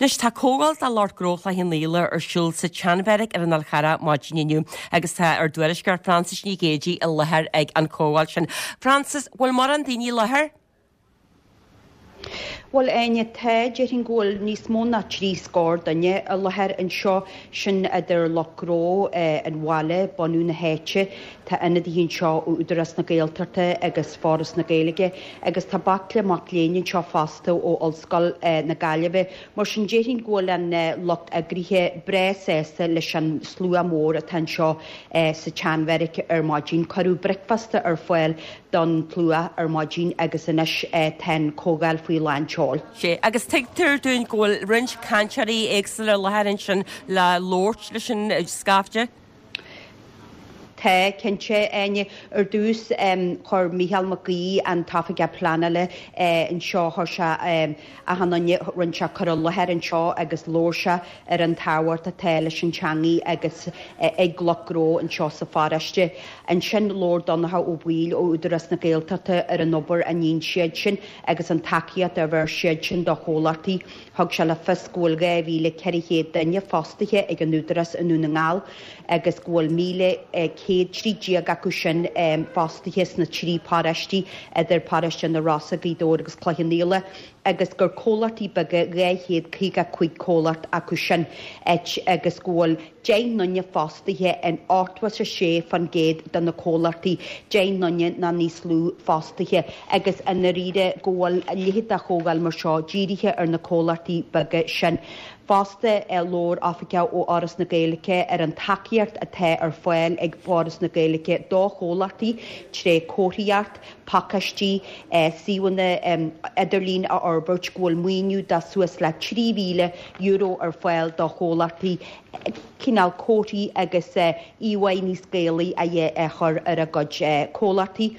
Anois tá comhdháil do lucht gnó Chloich Cheann Fhaola ar siúl sa tSeanbheairic ar an Fhál Charrach maidin inniu agus tá ár dtuairisceoir Frances Ní Ghéidigh i láthair ag an chomhdháil sin. Frances, bhfuil mórán daoine i láthair? Bhuel, Áine, tá, déarfainn go bhfuil níos mó ná 30 scór duine i láthair anseo, sin idir lucht gnó an bhaile, bunú na háite, tá ionadaithe anseo ó Údarás na Gaeltachta agus Foras na Gaeilge agus tá baicle mac léinn anseo fosta ó Ollscoil na Gaillimhe. Mar sin, déarfainn go bhfuil an lucht eagraithe breá sásta leis an slua mór atá anseo sa tSeanbheairic ar maidin. Cuireadh bricfeasta ar fáil don tslua ar maidin agus anois tá an chomhdháil faoi lán tseoil. Sea, agus tuigtear dúinn go bhfuil roinnt cainteoirí éagsúla i láthair ansin le labhairt leis an scaifte. Tá, cinnte, Áine. Ar dtús, chuir Mícheál Mac Aoidh, an tOifigeach Pleanála anseo, chuir sé achan duine, rinne sé cur i láthair anseo agus labhair sé ar an tábhacht atá leis an teangaidh agus ag lucht gnó anseo sa pharóiste. Ansin labhair Donncha Ó Baoill ó Údarás na Gaeltachta ar an obair a níonn siad sin agus an tacaíocht a bheir siad sin do chomhlachtaí. Thug sé le fios go bhfuil 2,400 duine fostaithe ag an Údarás i nDún na nGall agus go bhfuil 1,113 acu sin fostaithe sna trí paróistí, idir paróiste na Rosa, Gaoth Dobhair agus Cloich Cheann Fhaola. agus gur comhlachtaí beaga 255 comhlacht acu sin, agus go bhfuil 10 nduine fostaithe in 86% de na comhlachtaí, 10 nduine nó níos lú fostaithe, agus i ndáiríre go bhfuil a leithéid de chomhdháil mar seo dírithe ar na comhlachtaí beaga sin. Fosta, labhair oifigeach ó Fhoras na Gaeilge ar an tacaíocht atá ar fáil ag Foras na Gaeilge do chomhlachtaí tré comharthaíocht, pacáistí, suíomhanna idirlín a fhorbairt, go bhfuil maoiniú de suas le €3,000 ar fáil do chomhlachtaí cineál comharthaí agus íomháí níos Gaelaí a chur ar a gcuid comhlachtaí.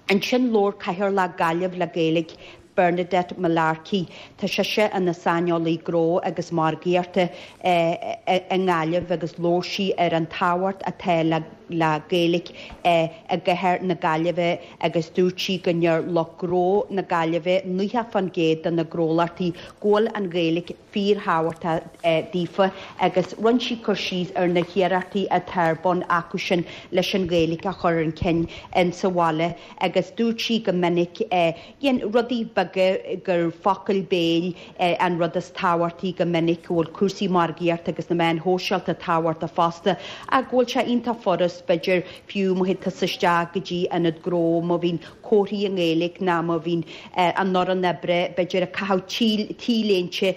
Ansin labhair Cathaoirleach Gaillimh le Gaeilge, Bernadette Mullarkey. Tá sise ina saineolaí gnó agus margaíochta i nGaillimh agus labhair sí ar an tábhacht atá le le Gaeilge i gcathair na Gaillimhe agus dúirt sí go ndeir lucht gnó na Gaillimhe, 90% de na gnólachtaí, go bhfuil an Ghaeilge fíorthábhachtach daofa agus rinne sí cur síos ar na hiarrachtaí atá ar bun acusin leis an Ghaeilge a chur chun cinn insa bhaile agus dúirt sí go minic Dhein rudaí beaga gur focail béil an rud is tábhachtaí go minic, go bhfuil cúrsaí margaíochta agus na meáin shóisialta tábhachtach fosta, ach go bhfuil sé iontach furast, b'fhéidir, fiú má théann tusa isteach go dtí ionad gnó, má bhíonn comharthaí i nGaeilge ná má bhíonn an fhoireann oibre, b'fhéidir, ag caitheamh T-léinte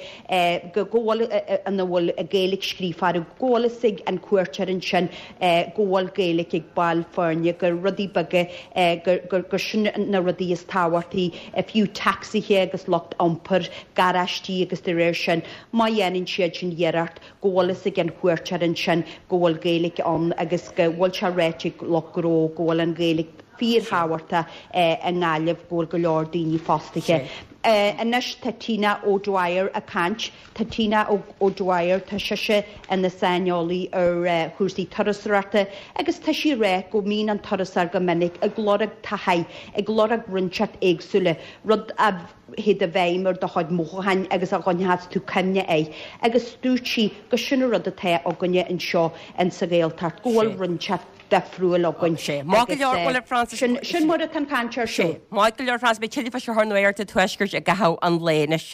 go bhfuil ina bhfuil Gaeilge scríofa orthu, go bhfuil fhios ag an cuairteoir ansin go bhfuil Gaeilge ag baill foirne, gur rudaí beaga, gur sin na rudaí is tábhachtaí, fiú tacsaithe agus lucht iompair, garáistí agus de réir sin, má dhéanann siad sin iarracht, go bhfuil fhios ag an chuairteoir ansin go bhfuil Gaeilge ann agus go bhfuil sé ráite ag lucht gnó go bhfuil an Ghaeilge fíorthábhachtach i nGaillimh, go bhfuil go leor daoine fostaithe. Anois tá Tina O'Dwyer ag caint. Tá Tina O'Dwyer, tá sise ina saineolaí ar chúrsaí turasóireachta agus tá sí ag rá go mbíonn an turasóir go minic ag lorg taithí, ag lorg rud inteacht éagsúla, rud a théid i bhfeidhm ar do chuid mothúcháin agus a gcoinneochas tú cuimhne air. Agus dúirt sí go sin an rud atá againne anseo in sa Ghaeltacht, go bhfuil rud inteacht difriúil againn. Sea. Maith go leor, bhuel a Frances. Sin mar atá an chaint ar siúl. Maith go leor Frances, beidh tuilleadh faoi seo ar Nuacht an Tuaiscirt i gcaitheamh an lae anois.